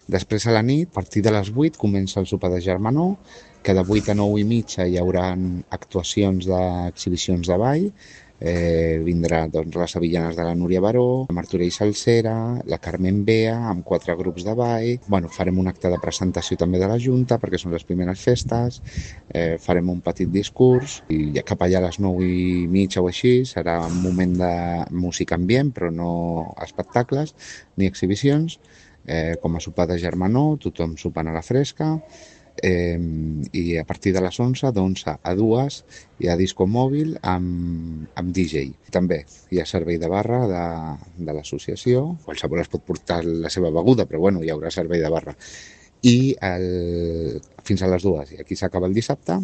Després a la nit, a partir de les 8, comença el sopar de germanor, que de 8 a 9 i mitja hi haurà actuacions d'exhibicions de ball. Vindrà doncs, les Sevillanes de la Núria Baró, la Martorell Salsera, la Carmen Bea, amb 4 grups de ball. Bueno, farem un acte de presentació també de la Junta, perquè són les primeres festes. Farem un petit discurs i cap allà a les 9 i mitja o així serà un moment de música ambient, però no espectacles ni exhibicions. Com a sopar de germanor, tothom sopant a la fresca. I a partir de les 11, d'11 a 2 hi ha disco mòbil amb DJ. També hi ha servei de barra de l'associació, qualsevol es pot portar la seva beguda, però bueno, hi haurà servei de barra. I fins a les 2, i aquí s'acaba el dissabte,